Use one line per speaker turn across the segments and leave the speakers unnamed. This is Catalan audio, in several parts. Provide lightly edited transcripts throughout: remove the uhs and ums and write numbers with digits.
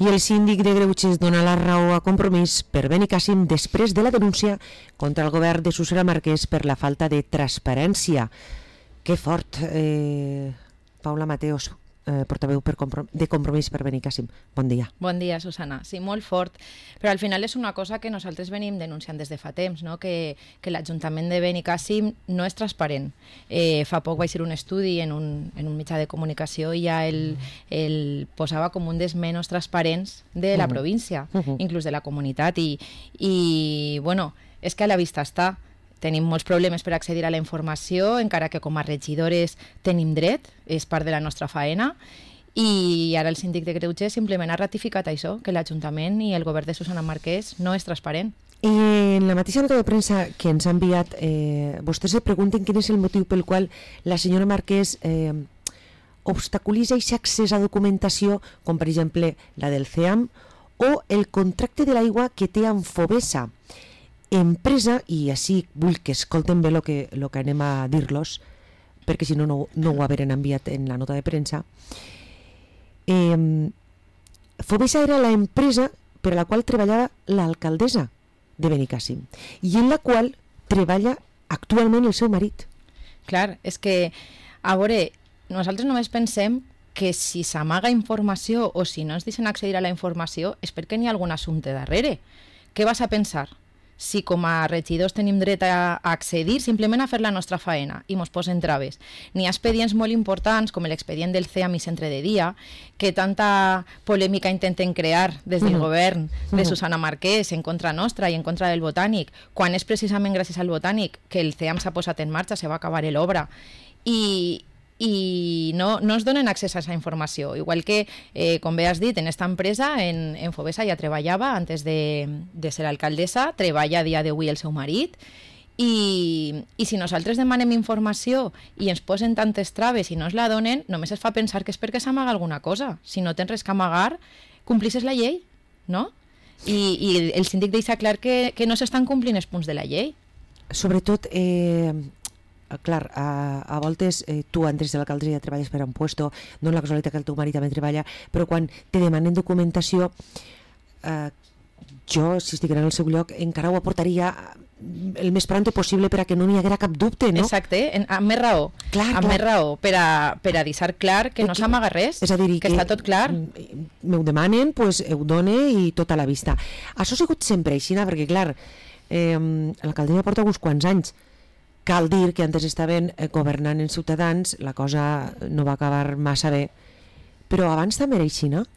I el síndic de Greuges dona la raó a Compromís per Benicàssim després de la denúncia contra el govern de Susana Marquès per la falta de transparència. Que fort, Paula Mateos, portaveu de Compromís per Benicàssim. Bon dia.
Bon dia, Susana. Sí, molt fort. Però al final és una cosa que nosaltres venim denunciant des de fa temps, no? que l'Ajuntament de Benicàssim no és transparent. Fa poc vaig fer un estudi en un mitjà de comunicació i ja el posava com un dels menys transparents de la província, inclús de la comunitat. I bueno, és que a la vista està. Tenim molts problemes per accedir a la informació, encara que com a regidores tenim dret, és part de la nostra faena, i ara el síndic de Greuges simplement ha ratificat això, que l'Ajuntament i el govern de Susana Marquès no és transparent.
I en la mateixa nota de premsa que ens ha enviat, vostès se pregunten quin és el motiu pel qual la senyora Marquès obstaculitza aquest accés a documentació, com per exemple la del CEAM, o el contracte de l'aigua que té amb Fovesa, empresa, i així vull que escolten bé el que anem a dir-los, perquè si no ho haveren enviat en la nota de premsa. Fovesa era la empresa per a la qual treballava l'alcaldessa de Benicàssim i en la qual treballa actualment el seu marit.
Clar, és que, a veure, nosaltres només pensem que si s'amaga informació o si no ens deixen accedir a la informació és perquè n'hi ha algun assumpte darrere. Què vas a pensar? Si com a regidors tenim dret a accedir simplement a fer la nostra faena i mos posen traves. N'hi ha expedients molt importants, com l'expedient del CEAM i Centre de Dia, que tanta polèmica intenten crear des del govern de Susana Marquès en contra nostra i en contra del Botànic, quan és precisament gràcies al Botànic que el CEAM s'ha posat en marxa, se va acabar l'obra, i no ens donen accés a aquesta informació. Igual que, com bé has dit, en aquesta empresa, en Fovesa ja treballava, antes de ser alcaldessa, treballa a dia d'avui el seu marit, i si nosaltres demanem informació i ens posen tantes traves i no ens la donen, només es fa pensar que és perquè s'amaga alguna cosa. Si no tens res que amagar, complisses la llei, no? I el síndic deixa clar que no s'estan complint els punts de la llei.
Sobretot, clar, a voltes tu entres de l'alcaldessa i ja treballes per a un puesto, no és la casualitat que el teu marit també treballa, però quan te demanen documentació, jo, si estigués en el seu lloc, encara ho aportaria el més pront possible per a que no n'hi haguera cap dubte, no?
Exacte, amb més raó. Més raó, per a deixar clar que no s'amaga res,
és a dir,
que està tot clar.
M'ho demanen, doncs ho done i tot a la vista. Això ha sigut sempre així, perquè clar, l'alcaldessa porta uns quants anys. Cal dir que antes estaven governant en Ciutadans, la cosa no va acabar massa bé, però abans també era així, no?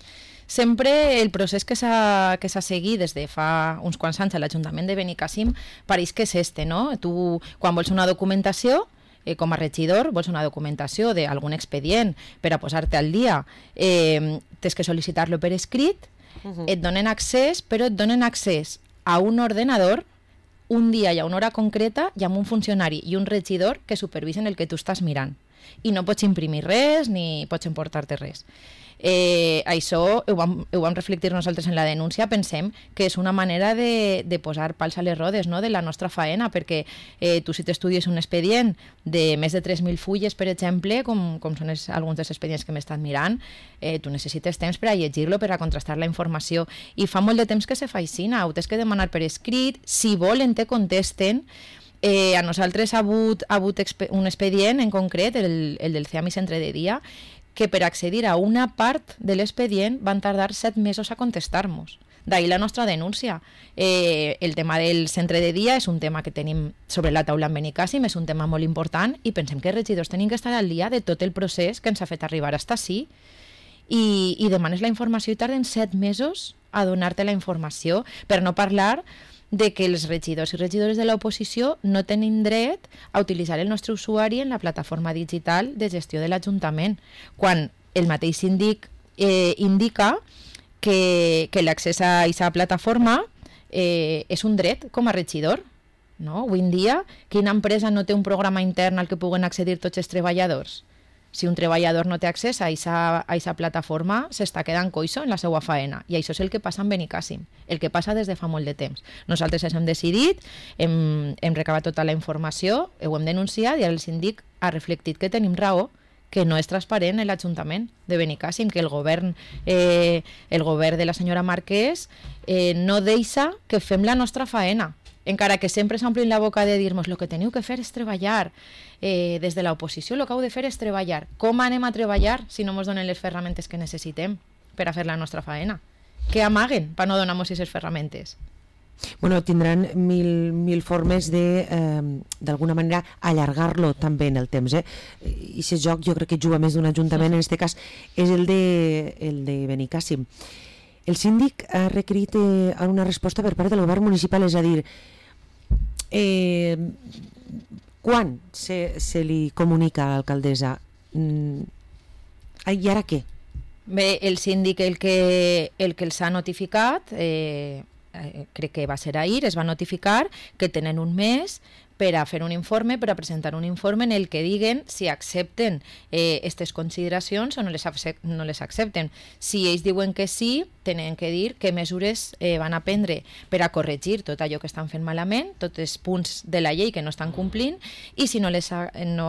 Sempre el procés que s'ha seguit des de fa uns quants anys a l'Ajuntament de Benicàssim pareix que és este, no? Tu, quan vols una documentació, com a regidor, vols una documentació d'algun expedient per a posar-te al dia, tens que sol·licitar-lo per escrit, et donen accés, però et donen accés a un ordenador un dia i a una hora concreta i amb un funcionari i un regidor que supervisen el que tu estàs mirant. I no pots imprimir res ni pots emportar-te res. Això ho vam reflectir nosaltres en la denúncia. Pensem que és una manera de posar pals a les rodes, no?, de la nostra faena, perquè tu, si t'estudies un expedient de més de 3.000 fulles, per exemple, com són alguns dels expedients que m'he estat mirant, tu necessites temps per a llegir-lo, per a contrastar la informació, i fa molt de temps que se fa així, ho tens que demanar per escrit, si volen te contesten. A nosaltres ha hagut un expedient en concret, el del CEAM i Centre de Dia, que per accedir a una part de l'expedient van tardar 7 mesos a contestar-nos. D'ahir la nostra denúncia. El tema del centre de dia és un tema que tenim sobre la taula en Benicàssim, és un tema molt important i pensem que els regidors tenim que estar al dia de tot el procés que ens ha fet arribar fins ací. I demanes la informació i tarden 7 mesos a donar-te la informació, per no parlar de que els regidors i regidores de l'oposició no tenim dret a utilitzar el nostre usuari en la plataforma digital de gestió de l'Ajuntament, quan el mateix síndic indica que l'accés a aquesta plataforma és un dret com a regidor. No? Avui en dia, quina empresa no té un programa intern al que puguen accedir tots els treballadors? Si un treballador no té accés a aquesta plataforma, s'està quedant coixo en la seva faena. I això és el que passa en Benicàssim, el que passa des de fa molt de temps. Nosaltres ens hem decidit, hem recabat tota la informació, ho hem denunciat i el síndic ha reflectit que tenim raó, que no és transparent en l'Ajuntament de Benicàssim, que el govern de la senyora Marquès no deixa que fem la nostra faena, encara que sempre s'omplin la boca de dir-nos el que teniu que fer és treballar, des de l'oposició el que heu de fer és treballar. Com anem a treballar si no ens donen les ferramentes que necessitem per a fer la nostra faena? Què amaguen per no donar-nos aquestes ferramentes?
Bueno, tindran mil formes de, d'alguna manera, allargar-lo també en el temps. I aquest joc jo crec que juga més d'un ajuntament, en aquest cas és el de Benicàssim. El síndic ha requerit una resposta per part del govern municipal, és a dir, quan se li comunica a l'alcaldessa? I ara què?
Bé, el síndic el que els ha notificat, crec que va ser ahir, es va notificar que tenen un mes per a fer un informe, per a presentar un informe en el que diguen si accepten aquestes consideracions o no les accepten. Si ells diuen que sí, tenen que dir què mesures van a prendre per a corregir tot allò que estan fent malament, tots els punts de la llei que no estan complint, i si no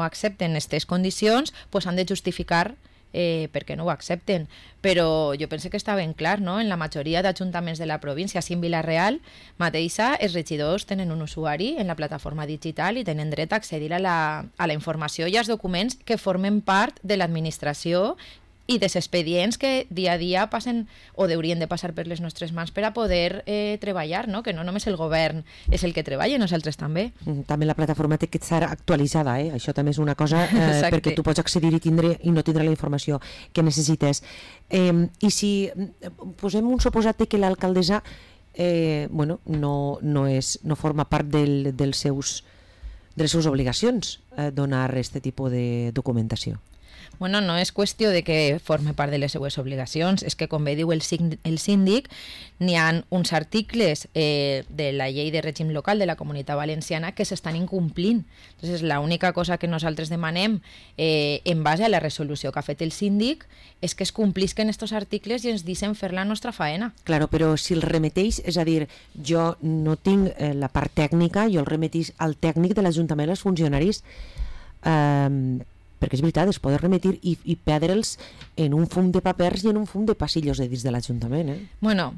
accepten aquestes condicions, doncs han de justificar perquè no ho accepten. Però jo penso que està ben clar, no? En la majoria d'ajuntaments de la província, així en Vila-real mateixa, els regidors tenen un usuari en la plataforma digital i tenen dret a accedir a la informació i als documents que formen part de l'administració i dels expedients que dia a dia passen o haurien de passar per les nostres mans per a poder treballar, no? Que no només el govern és el que treballa, nosaltres també.
També la plataforma té que estar actualitzada, això també és una cosa perquè tu pots accedir i no tindre la informació que necessites. I si posem un suposat que l'alcaldessa no forma part de les seus obligacions donar aquest tipus de documentació.
Bueno, no és qüestió de que forme part de les seues obligacions, és que, com bé diu el síndic, n'hi ha uns articles de la llei de règim local de la Comunitat Valenciana que s'estan incomplint. Entonces, l'única cosa que nosaltres demanem en base a la resolució que ha fet el síndic és que es complisquen aquests articles i ens deixen fer la nostra faena.
Claro, però si el remeteix, és a dir, jo no tinc la part tècnica, jo el remeteix al tècnic de l'Ajuntament, als funcionaris, perquè és veritat, es poden remitir i perdre'ls en un fum de papers i en un fum de passillos de dins de l'Ajuntament.
Bueno,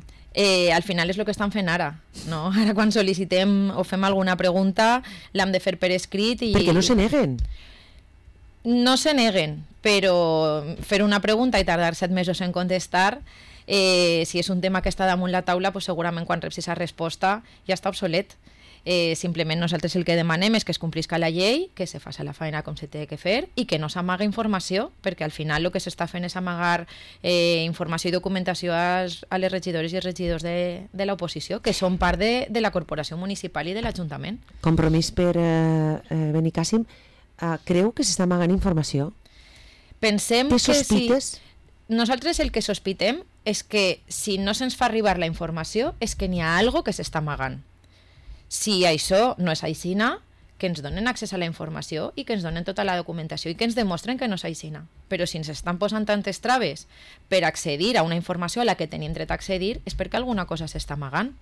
al final és el que estan fent ara, no? Ara quan sol·licitem o fem alguna pregunta l'hem de fer per escrit i...
Perquè no se neguen.
No se neguen, però fer una pregunta i tardar 7 mesos en contestar, si és un tema que està damunt la taula, pues segurament quan reps aquesta resposta ja està obsolet. Simplement nosaltres el que demanem és que es complisca la llei, que se faci la feina com se té que fer i que no s'amaga informació, perquè al final el que s'està fent és amagar informació i documentació a les regidores i els regidors de l'oposició, que són part de la corporació municipal i de l'Ajuntament.
Compromís per Benicàssim, creu que s'està amagant informació?
Pensem
que sospites?
Nosaltres el que sospitem és que si no se'ns fa arribar la informació és que n'hi ha alguna que s'està amagant. Si això no és aixina, que ens donen accés a la informació i que ens donen tota la documentació i que ens demostren que no és aixina. Però si ens estan posant tantes traves per accedir a una informació a la que tenim dret a accedir és perquè alguna cosa s'està amagant.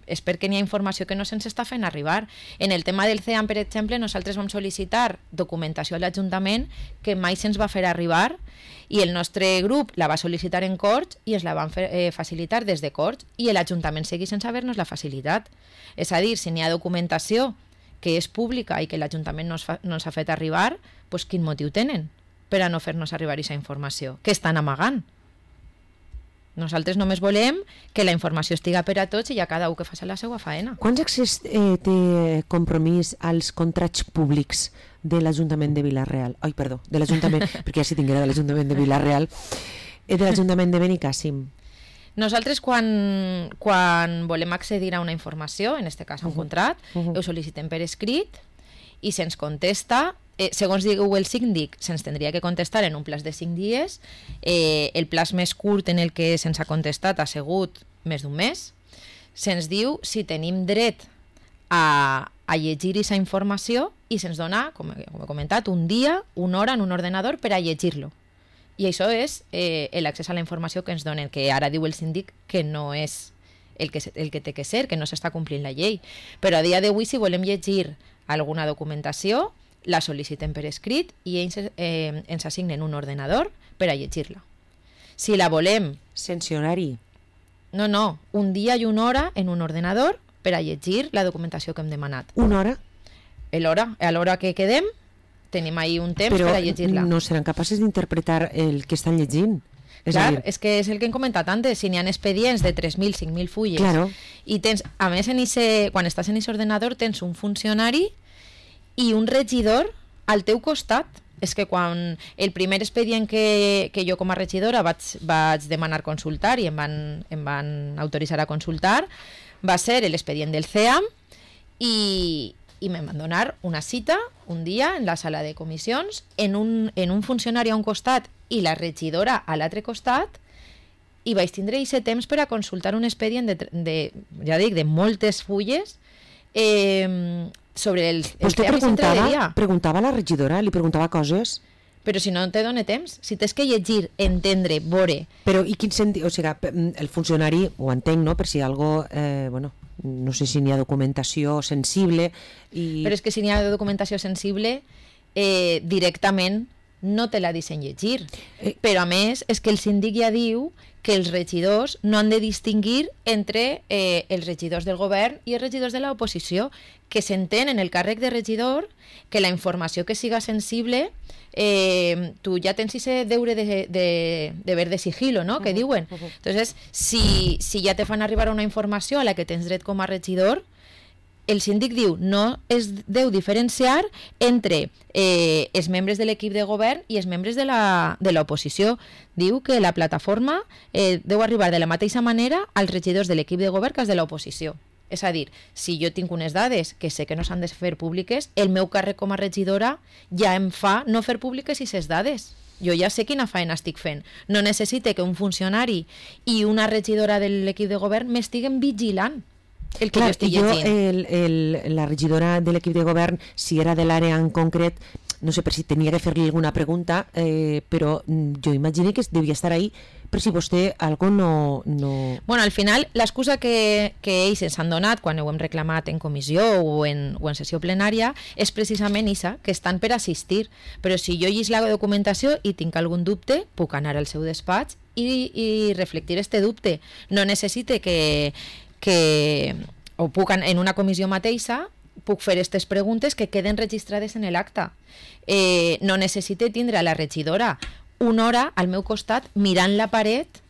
És perquè n'hi ha informació que no se'ns està fent arribar. En el tema del CEAM, per exemple, nosaltres vam sol·licitar documentació a l'Ajuntament que mai se'ns va fer arribar i el nostre grup la va sol·licitar en Corts i ens la van facilitar des de Corts i l'Ajuntament segueix sense haver-nos la facilitat. És a dir, si n'hi ha documentació que és pública i que l'Ajuntament no ens ha fet arribar, doncs quin motiu tenen per a no fer-nos arribar aquesta informació? Què estan amagant? Nosaltres només volem que la informació estiga per a tots i ja cada un que faci la seva faena.
Quants accés té Compromís als contrats públics de l'Ajuntament de Vila-real? Ai, perdó, de l'Ajuntament, perquè ja si tinguera de l'Ajuntament de Vila-real, de l'Ajuntament de Benicàssim.
Nosaltres quan volem accedir a una informació, en aquest cas a un contrat, ho sol·licitem per escrit i se'ns contesta. Segons diu el síndic, se'ns tindria que contestar en un plaç de 5 dies. El plaç més curt en el que se'ns ha contestat ha sigut més d'un mes. Se'ns diu si tenim dret a llegir aquesta informació i se'ns dona, com he comentat, un dia, una hora en un ordenador per a llegir-lo. I això és l'accés a la informació que ens donen, que ara diu el síndic que no és el que té que ser, que no s'està complint la llei. Però a dia d'avui, si volem llegir alguna documentació, la sol·liciten per escrit i ells ens assignen un ordenador per a llegir-la. Si la volem...
Sense horari.
No, un dia i una hora en un ordenador per a llegir la documentació que hem demanat.
Una hora?
A l'hora que quedem, tenim ahí un temps per a llegir-la.
Però no seran capaces d'interpretar el que estan llegint.
Clar, és que és el que hem comentat antes, si n'hi ha expedients de 3.000, 5.000 fulles,
claro.
I tens, a més, quan estàs en aquest ordenador tens un funcionari i un regidor al teu costat. És que quan el primer expedient que jo com a regidora vaig demanar consultar i em van autoritzar a consultar va ser l'expedient del CEAM i me'n van donar una cita un dia en la sala de comissions en un funcionari a un costat i la regidora a l'altre costat, i vaig tindre aquest temps per a consultar un expedient de moltes fulles sobre el tema de
preguntava a la regidora, li preguntava coses.
Però si no te dona temps, si tens que llegir, entendre, veure...
Però i quin sentit? O sigui, el funcionari, ho entenc, no? Per si algo, no sé si n'hi ha documentació sensible...
Però és que si n'hi ha documentació sensible, directament no te la deixen llegir. Però a més, és que el síndic ja diu que els regidors no han de distingir entre els regidors del govern i els regidors de l'oposició, que s'entén en el càrrec de regidor que la informació que siga sensible, tu ja tens ese deure de ver de sigilo, no?, que diuen. Entonces, si ja te fan arribar una informació a la que tens dret com a regidor, el síndic diu no es deu diferenciar entre els membres de l'equip de govern i els membres de l'oposició. Diu que la plataforma deu arribar de la mateixa manera als regidors de l'equip de govern que als de l'oposició. És a dir, si jo tinc unes dades que sé que no s'han de fer públiques, el meu càrrec com a regidora ja em fa no fer públiques aquestes dades. Jo ja sé quina feina estic fent. No necessite que un funcionari i una regidora de l'equip de govern m'estiguen vigilant el que jo estic llegint.
La regidora de l'equip de govern, si era de l'àrea en concret, no sé per si tenia que fer-li alguna pregunta, però jo imagino que devia estar ahí per si vostè algo no...
Bueno, al final, l'excusa que ells ens han donat quan ho hem reclamat en comissió o en sessió plenària és precisament això, que estan per assistir. Però si jo llegis la documentació i tinc algun dubte, puc anar al seu despatx i reflectir este dubte. No necessite o puc en una comissió mateixa puc fer aquestes preguntes que queden registrades en l'acta. No necessite tindre a la regidora una hora al meu costat mirant la paret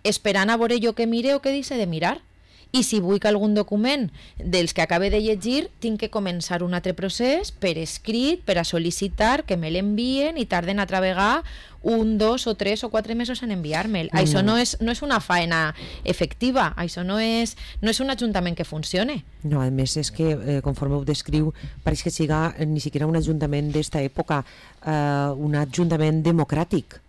esperant a veure jo que mire o que deixe de mirar. I si vull que algun document dels que acabe de llegir, tinc que començar un altre procés per escrit, per a sol·licitar que me l'envien i tarden altra vegada 1, 2 o 3 o 4 mesos en enviar-me'l. Això no és una faena efectiva, això no és un ajuntament que funcione.
No, a més és que, conforme ho descriu, pareix que siga ni siquiera un ajuntament d'esta època, un ajuntament democràtic.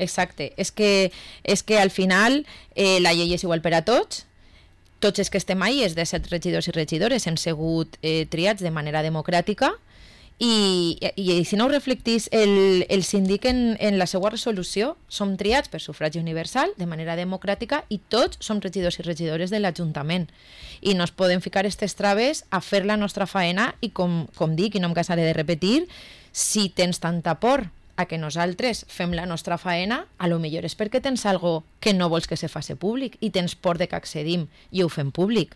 Exacte, és que al final la llei és igual per a tots els que estem ahí, és de 7 regidors i regidores, hem sigut triats de manera democràtica i si no ho reflectís el síndic en la seva resolució, som triats per sufragi universal de manera democràtica i tots som regidors i regidores de l'Ajuntament i no es poden ficar aquestes traves a fer la nostra faena i com dic i no em cansaré de repetir, si tens tanta por a que nosaltres fem la nostra faena, a lo millor és perquè tens algo que no vols que se faci públic i tens por de que accedim i ho fem públic.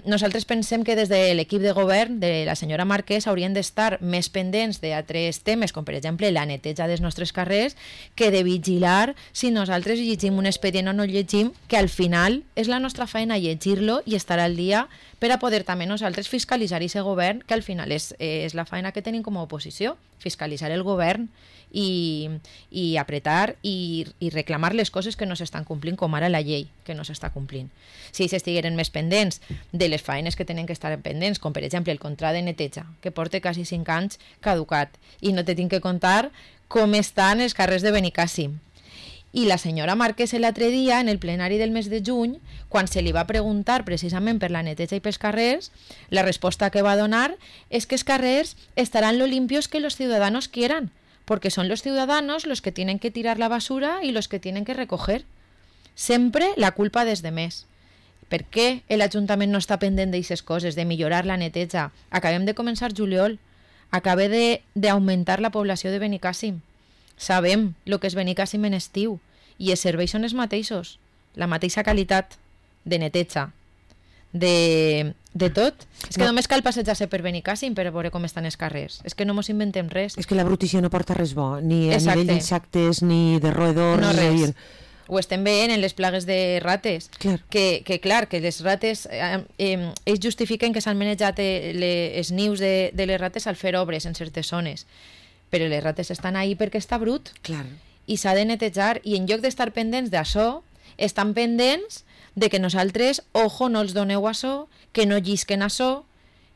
Nosaltres pensem que des de l'equip de govern de la senyora Marquès haurien d'estar més pendents d'altres temes, com per exemple la neteja dels nostres carrers, que de vigilar si nosaltres llegim un expedient o no llegim, que al final és la nostra feina llegir-lo i estar al dia per a poder també nosaltres fiscalitzar aquest govern, que al final és la feina que tenim com a oposició, fiscalitzar el govern i apretar i reclamar les coses que no s'estan complint, com ara la llei que no s'està complint. Si ells estigueren més pendents de les feines que tenen que estar pendents, com per exemple el contracte de neteja, que porta quasi 5 anys caducat, i no te tinc que contar com estan els carrers de Benicàssim. I la senyora Marquès l'altre dia, en el plenari del mes de juny, quan se li va preguntar precisament per la neteja i pels carrers, la resposta que va donar és que els carrers estaran lo limpios que los ciudadanos quieran, porque son los ciudadanos los que tienen que tirar la basura y los que tienen que recoger. Sempre la culpa des de més. Per què l'Ajuntament no està pendent d'aixes coses, de millorar la neteja? Acabem de començar juliol. acaba d'augmentar la població de Benicàssim. Sabem el que és Benicàssim en estiu i els serveis són els mateixos, la mateixa qualitat de neteja, de tot. És que només cal passejar-se per Benicàssim per veure com estan els carrers. És que no mos inventem res.
És que la brutícia no porta res bo, ni a
Exacte.
nivell d'insectes, ni de roedors.
No res.
Dir...
Ho estem veient en les plagues de rates.
Clar.
Que les rates, ells justifiquen que s'han manejat els nius de les rates al fer obres en certes zones. Però les rates estan ahí perquè està brut.
Clar.
I s'ha de netejar. I en lloc d'estar pendents d'això, estan pendents de que nosaltres, ojo, no els doneu això, que no llisquen això,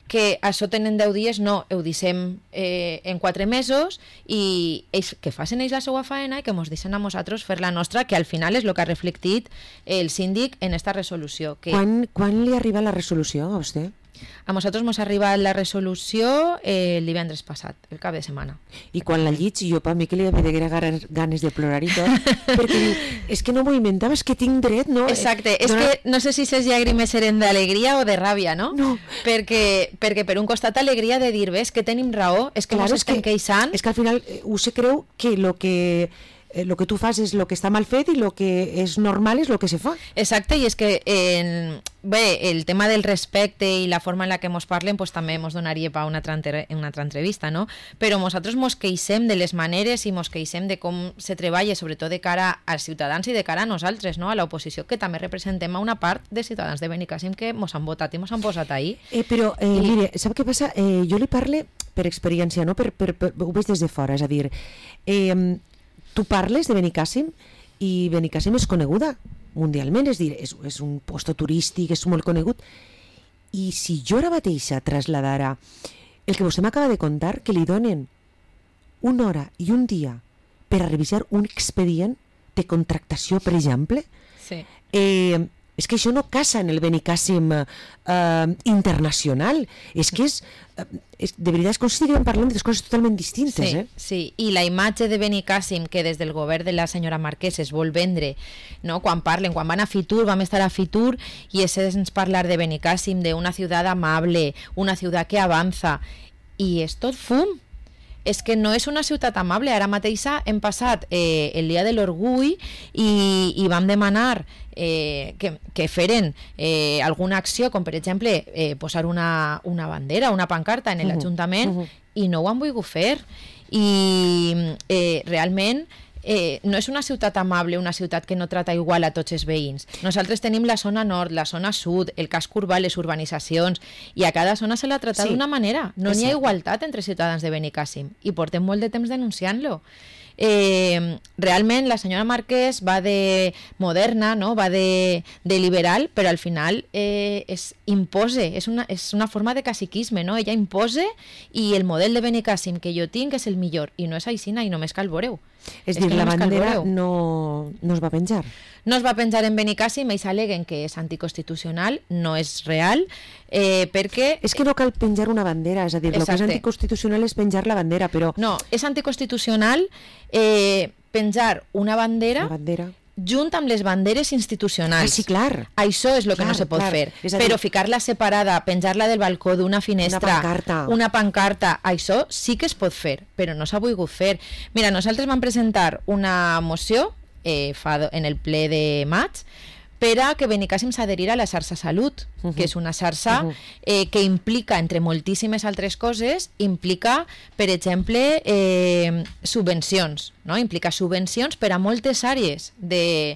que això tenen 10 dies, no, ho deixem en 4 mesos i ells, que facin ells la seva faena i que ens deixen a nosaltres fer la nostra, que al final és el que ha reflectit el síndic en esta resolució. Que
Quan li arriba la resolució a vostè?
a nosaltres ens ha arribat la resolució el divendres passat, el cap de setmana.
I quan la llits, jo per mi que li havia de ganes de plorar i tot, perquè diu, és que no m'ho inventava, és que tinc dret, no?
Exacte, és que no sé si ses llàgrimes eren d'alegria o de ràbia, no?
No.
Perquè per un costat alegria de dir, ves, que tenim raó, és que
Claro,
ens estem queixant.
És que al final se creu que lo que tu fas és lo que està mal fet i lo que és normal és lo que se fa.
Exacte, i és que bé, el tema del respecte i la forma en la que ens parlen pues, també ens donaria per una altra entrevista, no? Però nosaltres ens queixem de les maneres i ens queixem de com se treballa, sobretot de cara als ciutadans i de cara a nosaltres, no? A l'oposició, que també representem a una part de ciutadans de Benicàssim que ens han votat i ens han posat ahí.
Però, mire, sap què passa? Jo li parle per experiència, no? Ho veig des de fora, és a dir, tu parles de Benicàssim i Benicàssim és coneguda mundialment, és dir, és un posto turístic, és molt conegut, i si jo ara mateixa trasladara el que vostè m'acaba de contar, que li donen una hora i un dia per a revisar un expedient de contractació, per exemple,
Sí.
és que això no casa en el Benicàssim internacional, és que de veritat és com si estiguem parlant de coses totalment distintes.
Sí, sí, i la imatge de Benicàssim que des del govern de la senyora Marquès es vol vendre, no? Quan van a Fitur, vam estar a Fitur i és parlar de Benicàssim, d'una ciutat amable, una ciutat que avança, i és tot fum. És que no és una ciutat amable. Ara mateixa hem passat el dia de l'orgull i vam demanar que feren alguna acció, com per exemple posar una bandera, una pancarta en l'Ajuntament, i no ho han volgut fer. I realment no és una ciutat amable, una ciutat que no trata igual a tots els veïns. Nosaltres tenim la zona nord, la zona sud, el casc urbà, les urbanitzacions, i a cada zona se l'ha tratat d'una manera. No n'hi ha igualtat entre ciutadans de Benicàssim, i portem molt de temps denunciant-lo. Realment la senyora Marquès va de moderna, no? Va de liberal, però al final impose, és una forma de caciquisme, no? Ella impose, i el model de Benicàssim que jo tinc és el millor, i no és aixina, i només cal veure-ho.
És dir, la bandera no es va penjar.
No es va penjar en Benicàssim, ells aleguen que és anticonstitucional, no és real, perquè...
És que no cal penjar una bandera, és a dir, el que és anticonstitucional és penjar la bandera, però...
No, és anticonstitucional penjar una bandera junt amb les banderes institucionals.
Ah, sí, clar.
Això és el que no se pot fer. Però ficar-la separada, penjar-la del balcó d'una finestra, una pancarta, això sí que es pot fer, però no s'ha volgut fer. Mira, nosaltres vam presentar una moció en el ple de maig per a que Benicàssim s'adherira a la xarxa Salut, que és una xarxa que implica, entre moltíssimes altres coses, implica, per exemple, subvencions, no? Implica subvencions per a moltes àrees de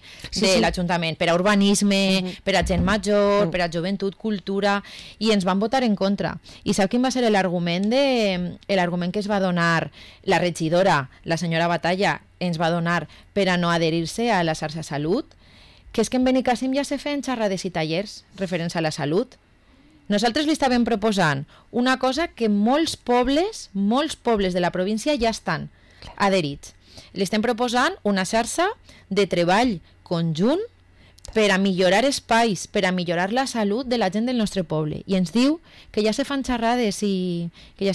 l'Ajuntament, per a urbanisme, per a gent major, per a joventut, cultura, i ens van votar en contra. I sap quin va ser l'argument que es va donar la regidora, la senyora Batalla, ens va donar per a no adherir-se a la xarxa Salut? Que és que en Benicàssim ja se feien xerrades i tallers referents a la salut. Nosaltres li estàvem proposant una cosa que molts pobles de la província ja estan adherits. Li estem proposant una xarxa de treball conjunt per a millorar espais, per a millorar la salut de la gent del nostre poble. I ens diu que ja se fan xerrades, que ja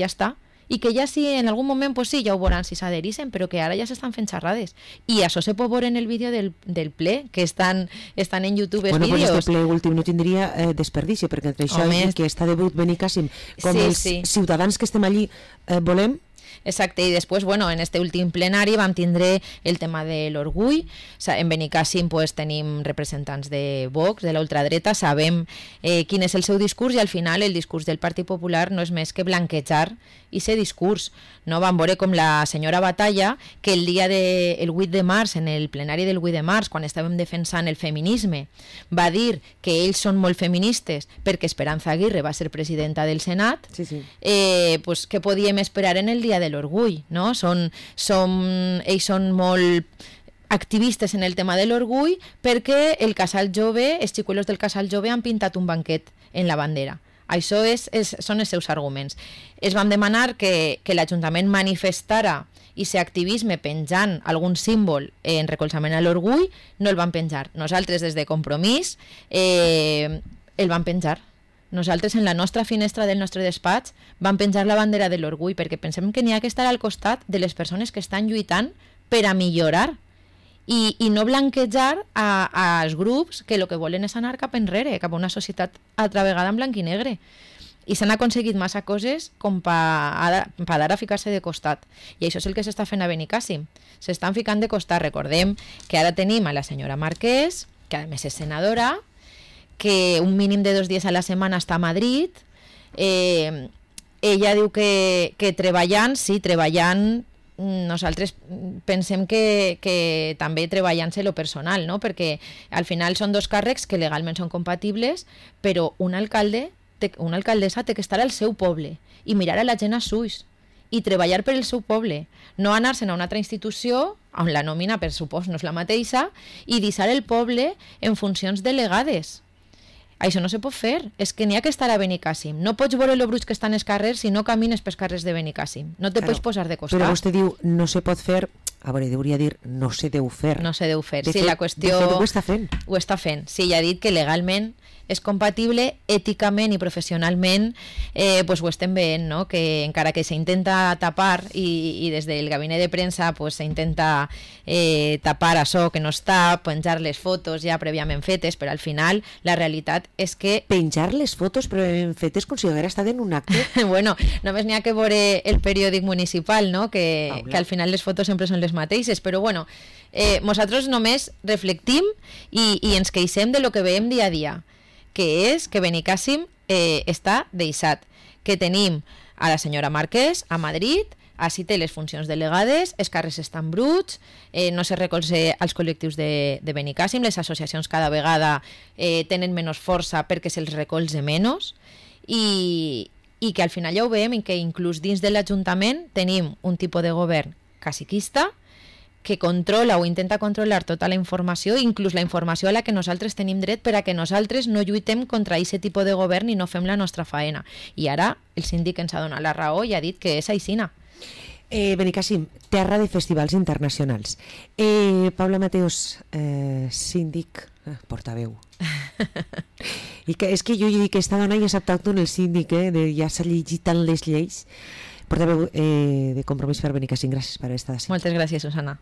està, i que ja si en algun moment, pues sí, ja ho veuran si s'adherixen, però que ara ja s'estan fent xerrades. I això se pot veure en el vídeo del ple, que estan en YouTube els vídeos.
Bueno, pues este ple últim no tindria desperdici, perquè entre això i que està de brut Benicàssim, com els ciutadans que estem allí volem.
Exacte, i després, bueno, en este últim plenari vam tindre el tema de l'orgull. En Benicàssim pues, tenim representants de Vox, de la ultradreta, sabem quin és el seu discurs i al final el discurs del Partit Popular no és més que blanquejar aquest discurs. No? Vam veure com la senyora Batalla, que el 8 de març, en el plenari del 8 de març, quan estàvem defensant el feminisme, va dir que ells són molt feministes perquè Esperanza Aguirre va ser presidenta del Senat, pues, què podíem esperar en el dia de l'orgull? No? Ells són molt activistes en el tema de l'orgull perquè el casal jove, els xicuelos del casal jove han pintat un banquet en la bandera. Això són els seus arguments. Es vam demanar que l'Ajuntament manifestara i ser activisme penjant algun símbol en recolzament a l'orgull, no el van penjar. Nosaltres, des de Compromís, el van penjar. Nosaltres, en la nostra finestra del nostre despatx, vam penjar la bandera de l'orgull, perquè pensem que n'hi ha que estar al costat de les persones que estan lluitant per a millorar i no blanquejar als grups que el que volen és anar cap enrere, cap a una societat altra vegada en blanc i negre. I s'han aconseguit massa coses com per ara ficar-se de costat. I això és el que s'està fent a Benicàssim. S'estan ficant de costat. Recordem que ara tenim a la senyora Marquès, que a més és senadora, que un mínim de 2 dies a la setmana està a Madrid. Ella diu que treballant, sí, treballant, nosaltres pensem que també treballant-se lo personal, no? Perquè al final són 2 càrrecs que legalment són compatibles, però un alcalde, una alcaldessa té que estar al seu poble i mirar a la gent als ulls i treballar per el seu poble, no anar-se'n a una altra institució on la nòmina, per supost, no és la mateixa, i deixar el poble en funcions delegades. Això no se pot fer, és que n'hi ha que estar a Benicàssim. No pots veure els bruts que estan als carrers si no camines pels carrers de Benicàssim. No te pots posar de costat.
Però vostè diu, no se pot fer, a veure, hauria dir, no se deu fer.
No se deu fer, sí, la qüestió...
De fet, ho està fent.
Ho està fent, sí, ja ha dit que legalment és compatible, èticament i professionalment, pues ho estem veient, no? Que encara que s'intenta tapar i des del gabinet de premsa pues, s'intenta tapar això que no està, penjar les fotos ja prèviament fetes, però al final la realitat és que...
Penjar les fotos prèviament fetes com si haguera estat en un acte?
Bueno, només n'hi ha que veure el periòdic municipal, no? Que al final les fotos sempre són les mateixes, però bueno, nosaltres només reflectim i ens queixem de lo que veiem dia a dia, que és que Benicàssim està deixat, que tenim a la senyora Marquès a Madrid, així té les funcions delegades, els carrers estan bruts, no se recolza als col·lectius de Benicàssim, les associacions cada vegada tenen menys força perquè se'ls recolza menys i que al final ja ho veiem que inclús dins de l'Ajuntament tenim un tipus de govern caciquista que controla o intenta controlar tota la informació, inclús la informació a la que nosaltres tenim dret per a que nosaltres no lluitem contra aquest tipus de govern i no fem la nostra faena. I ara el síndic ens ha donat la raó i ha dit que és aixina.
Benicàssim, terra de festivals internacionals. Paula Mateos, síndic, portaveu. I que, és que jo dic que esta dona ja sap tant el síndic, ja s'ha llegit tant les lleis. Portaveu de Compromís per Benicàssim, gràcies per estar així.
Moltes gràcies, Susana.